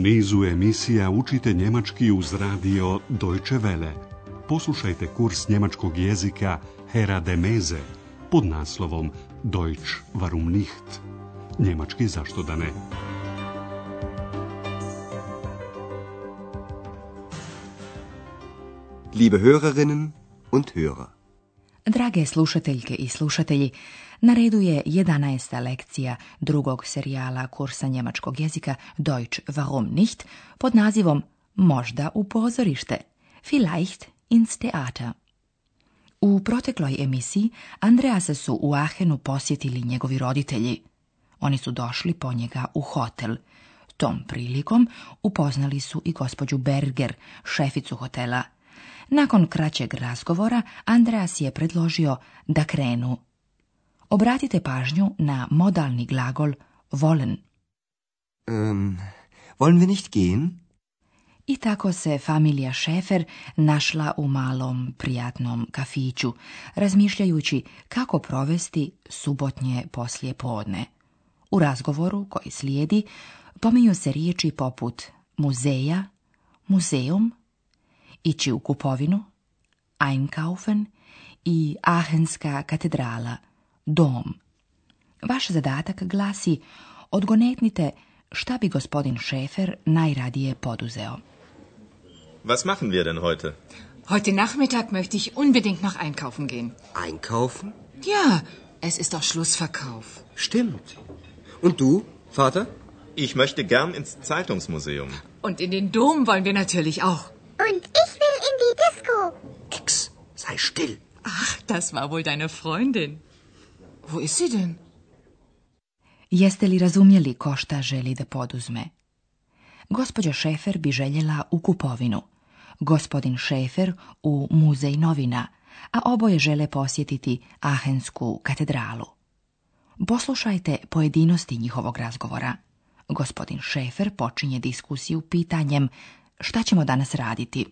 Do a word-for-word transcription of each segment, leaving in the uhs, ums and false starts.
nizu emisija učite njemački uz radio Deutsche Welle. Poslušajte kurs njemačkog jezika Hera de Meze pod naslovom Deutsch warum nicht? Njemački zašto da ne? Liebe Hörerinnen und Hörer. Drage slušateljke i slušatelji, na redu je jedanaesta lekcija drugog serijala kursa njemačkog jezika Deutsch warum nicht pod nazivom Možda u pozorište, vielleicht ins Theater. U protekloj emisiji Andreasa su u Aachenu posjetili njegovi roditelji. Oni su došli po njega u hotel. Tom prilikom upoznali su i gospođu Berger, šeficu hotela. Nakon kraćeg razgovora, Andreas je predložio da krenu. Obratite pažnju na modalni glagol wollen. Um, wollen wir nicht gehen? I tako se familija Schäfer našla u malom, prijatnom kafiću, razmišljajući kako provesti subotnje poslije podne. U razgovoru koji slijedi pominju se riječi poput muzeja, muzeum, ići u kupovinu, einkaufen i Aachenska katedrala, dom. Vaš zadatak glasi odgonetnite šta bi gospodin Schäfer najradije poduzeo. Was machen wir denn heute? Heute Nachmittag möchte ich unbedingt noch einkaufen gehen. Einkaufen? Ja, es ist doch Schlussverkauf. Stimmt. Und du, Vater? Ich möchte gern ins Zeitungsmuseum. Und in den Dom wollen wir natürlich auch. Und ich will in die Disco. Ex, sei still. Ach, das war wohl deine Freundin. Wo ist sie denn? Jeste li razumjeli ko šta želi da poduzme? Gospođa Schäfer bi željela u kupovinu, gospodin Schäfer u muzej novina, a oboje žele posjetiti Aachensku katedralu. Poslušajte pojedinosti njihovog razgovora. Gospodin Schäfer počinje diskusiju pitanjem šta ćemo danas raditi.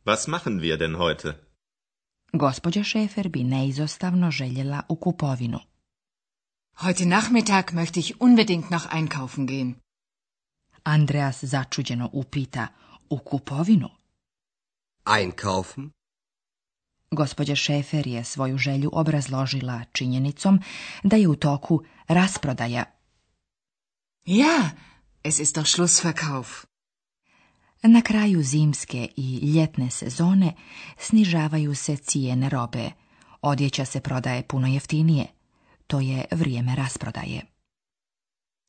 Was machen wir denn heute? Gospođa Schäfer bi neizostavno željela u kupovinu. Heute Nachmittag möchte ich unbedingt noch einkaufen gehen. Andreas začuđeno upita u kupovinu. Einkaufen? Gospođa Schäfer je svoju želju obrazložila činjenicom da je u toku rasprodaja. Ja, es ist doch Schlussverkauf. Na kraju zimske i ljetne sezone snižavaju se cijene robe. Odjeća se prodaje puno jeftinije. To je vrijeme rasprodaje.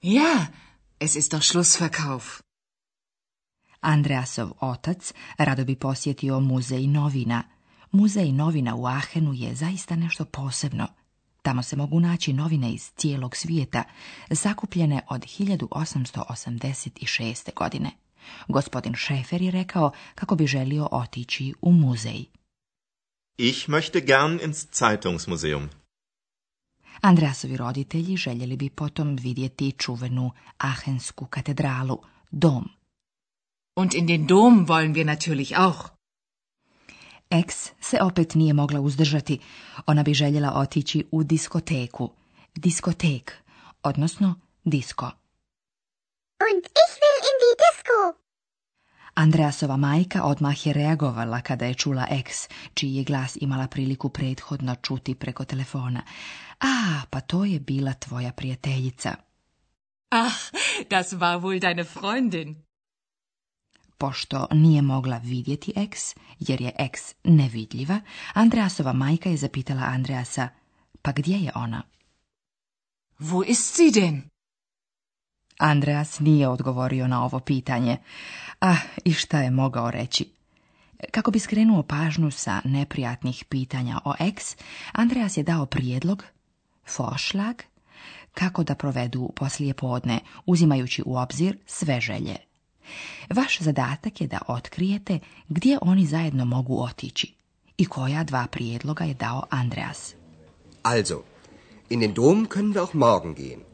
Ja, es ist doch Schlussverkauf. Andreasov otac rado bi posjetio muzej novina. Muzej novina u Aachenu je zaista nešto posebno. Tamo se mogu naći novine iz cijelog svijeta, zakupljene od hiljadu osamsto osamdeset šeste. godine. Gospodin Schäfer je rekao kako bi želio otići u muzej. Ich möchte gern ins Zeitungsmuseum. Andreasovi roditelji željeli bi potom vidjeti čuvenu Aachensku katedralu, dom. Und in den Dom wollen wir natürlich auch. Ex se opet nije mogla uzdržati. Ona bi željela otići u diskoteku. Diskotek, odnosno disko. Und ich will in die Disco. Andreasova majka odmah je reagovala kada je čula ex, čiji je glas imala priliku prethodno čuti preko telefona. A, pa to je bila tvoja prijateljica. Ach, das war wohl deine Freundin. Pošto nije mogla vidjeti ex, jer je ex nevidljiva, Andreasova majka je zapitala Andreasa, pa gdje je ona? Wo ist sie denn? Andreas nije odgovorio na ovo pitanje. Ah, i šta je mogao reći? Kako bi skrenuo pažnju sa neprijatnih pitanja o ex, Andreas je dao prijedlog, Vorschlag, kako da provedu poslijepodne, uzimajući u obzir sve želje. Vaš zadatak je da otkrijete gdje oni zajedno mogu otići i koja dva prijedloga je dao Andreas. Also, in den Dom können wir auch morgen gehen.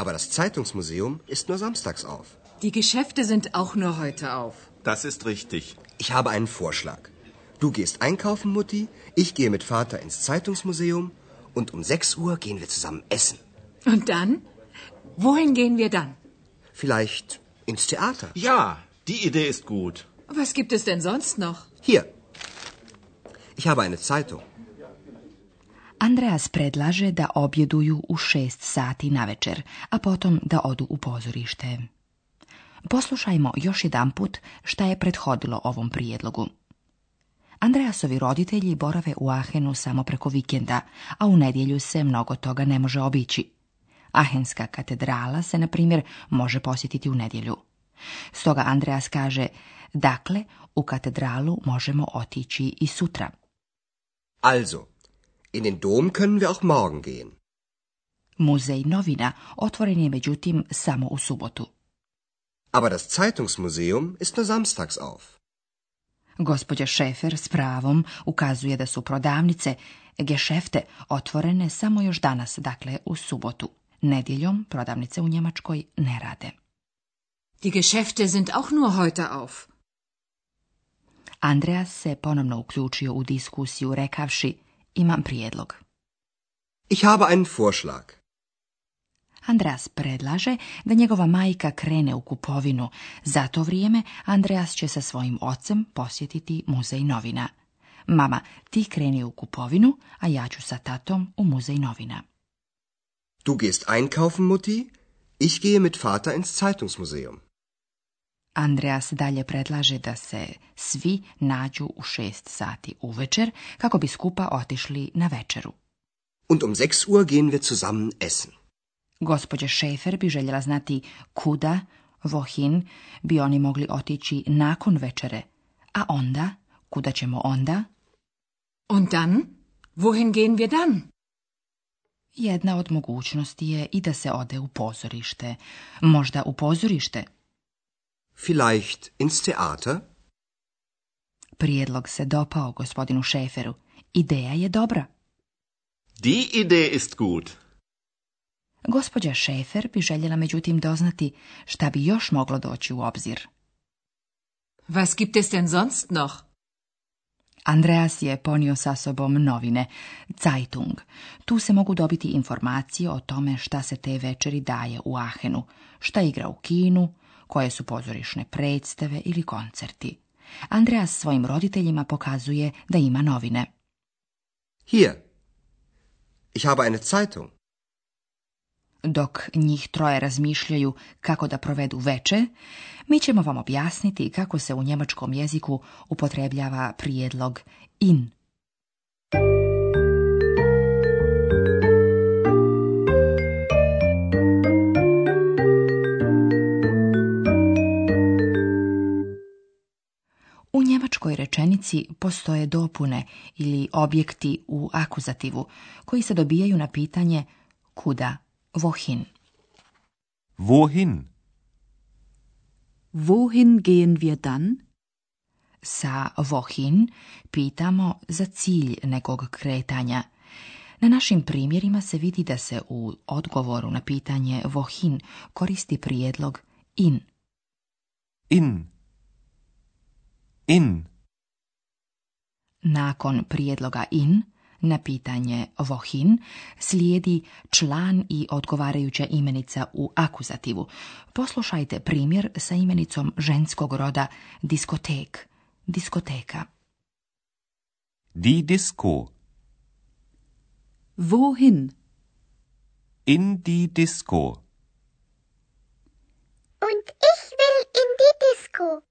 Aber das Zeitungsmuseum ist nur samstags auf. Die Geschäfte sind auch nur heute auf. Das ist richtig. Ich habe einen Vorschlag. Du gehst einkaufen, Mutti, ich gehe mit Vater ins Zeitungsmuseum und um sechs Uhr gehen wir zusammen essen. Und dann? Wohin gehen wir dann? Vielleicht Ins Theater. Ja, die Idee ist gut. Was gibt es denn sonst noch? Hier. Ich habe eine Zeitung. Andreas predlaže da objeduju u šest sati navečer, a potom da odu u pozorište. Poslušajmo još jedanput šta je prethodilo ovom prijedlogu. Andreasovi roditelji borave u Aachenu samo preko vikenda, a u nedjelju se mnogo toga ne može obići. Aachenska katedrala se, na primjer, može posjetiti u nedjelju. Stoga Andreas kaže, dakle, u katedralu možemo otići i sutra. Also, in den Dom können wir auch morgen gehen. Muzej novina otvoren je međutim samo u subotu. Aber das Zeitungsmuseum ist nur samstags auf. Gospođa Schäfer s pravom ukazuje da su prodavnice, gešefte, otvorene samo još danas, dakle u subotu. Nedjeljom prodavnice u Njemačkoj ne rade. Die Geschäfte sind auch nur heute auf. Andreas se ponovno uključio u diskusiju rekavši, imam prijedlog. Ich habe einen Vorschlag. Andreas predlaže da njegova majka krene u kupovinu. Za to vrijeme Andreas će sa svojim ocem posjetiti muzej novina. Mama, ti kreni u kupovinu, a ja ću sa tatom u muzej novina. Du gehst einkaufen, Mutti. Ich gehe mit Vater ins Zeitungsmuseum. Andreas dalje predlaže da se svi nađu u šest sati uvečer kako bi skupa otišli na večeru. Und um sechs Uhr gehen wir zusammen essen. Gospođa Schäfer bi željela znati kuda, wohin, bi oni mogli otići nakon večere. A onda, kuda ćemo onda? Und dann? Wohin gehen wir dann? Jedna od mogućnosti je i da se ode u pozorište. Možda u pozorište. Vielleicht ins Theater? Prijedlog se dopao gospodinu Schäferu. Ideja je dobra. Die Idee ist gut. Gospođa Schäfer bi željela međutim doznati šta bi još moglo doći u obzir. Was gibt es denn sonst noch? Andreas je ponio sa sobom novine, Zeitung. Tu se mogu dobiti informacije o tome šta se te večeri daje u Aachenu, šta igra u kinu, koje su pozorišne predstave ili koncerti. Andreas svojim roditeljima pokazuje da ima novine. Hier. Ich habe eine Zeitung. Dok njih troje razmišljaju kako da provedu veče, mi ćemo vam objasniti kako se u njemačkom jeziku upotrebljava prijedlog in. U njemačkoj rečenici postoje dopune ili objekti u akuzativu koji se dobijaju na pitanje kuda. Wohin? Wohin? Wohin gehen wir dann? Sa wohin pitamo za cilj nekog kretanja. Na našim primjerima se vidi da se u odgovoru na pitanje wohin koristi prijedlog in. In. In. Nakon prijedloga in na pitanje wohin slijedi član i odgovarajuća imenica u akuzativu. Poslušajte primjer sa imenicom ženskog roda diskotek, diskoteka. Die Disco. Wohin? In die Disco. Und ich will in die Disco.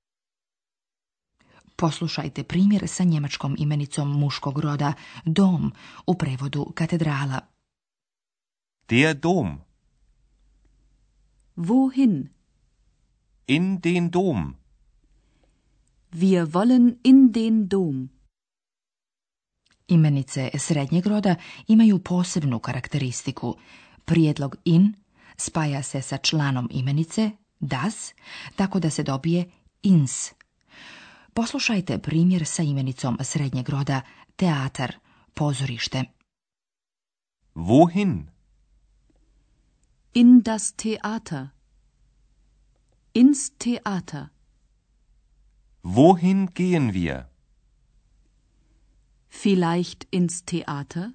Poslušajte primjer sa njemačkom imenicom muškog roda dom, u prevodu katedrala. Der Dom. Wohin? In den Dom. Wir wollen in den Dom. Imenice srednjeg roda imaju posebnu karakteristiku. Prijedlog in spaja se sa članom imenice das, tako da se dobije ins. Poslušajte primjer sa imenicom srednjeg roda teatar, pozorište. Wohin? In das Theater. Ins Theater. Wohin gehen wir? Vielleicht ins Theater?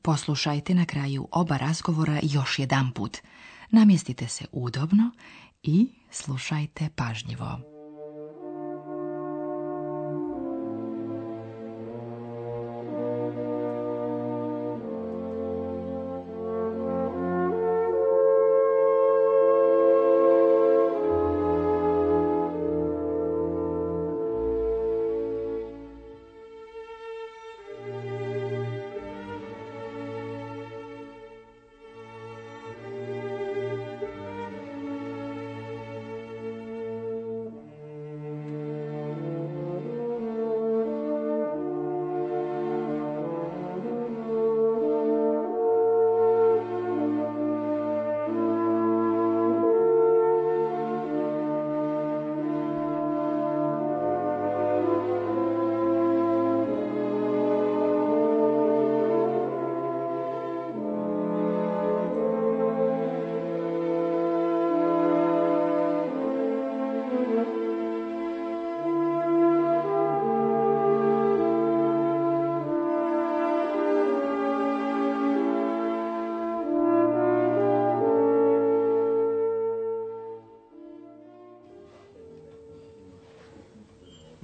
Poslušajte na kraju oba razgovora još jedanput. Namjestite se udobno i slušajte pažljivo.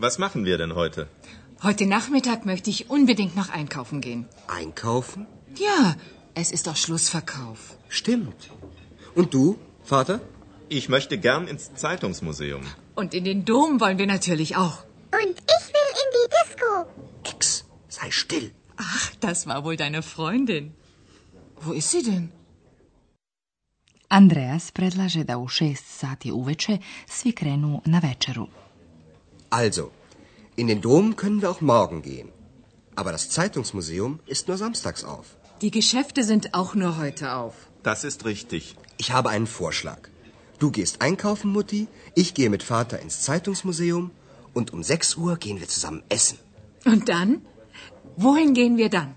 Was machen wir denn heute? Heute Nachmittag möchte ich unbedingt noch einkaufen gehen. Einkaufen? Ja, es ist doch Schlussverkauf. Stimmt. Und du, Vater? Ich möchte gern ins Zeitungsmuseum. Und in den Dom wollen wir natürlich auch. Und ich will in die Disco. Ex, sei still. Ach, das war wohl deine Freundin. Wo ist sie denn? Andreas predlaže da u šest sati uveče svi krenu na večeru. Also, in den Dom können wir auch morgen gehen. Aber das Zeitungsmuseum ist nur samstags auf. Die Geschäfte sind auch nur heute auf. Das ist richtig. Ich habe einen Vorschlag. Du gehst einkaufen, Mutti, ich gehe mit Vater ins Zeitungsmuseum und um sechs Uhr gehen wir zusammen essen. Und dann? Wohin gehen wir dann?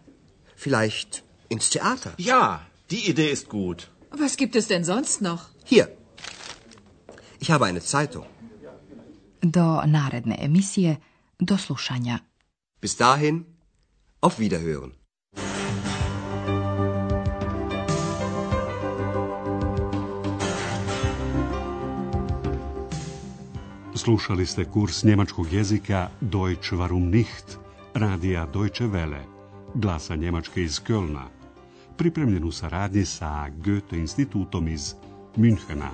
Vielleicht ins Theater. Ja, die Idee ist gut. Was gibt es denn sonst noch? Hier. Ich habe eine Zeitung. Do naredne emisije, do slušanja. Bis dahin, auf Wiederhören. Slušali ste kurs njemačkog jezika Deutsch warum nicht, radija Deutsche Welle, glasa Njemačke iz Kölna, pripremljen u saradnji sa Goethe institutom iz Münchena.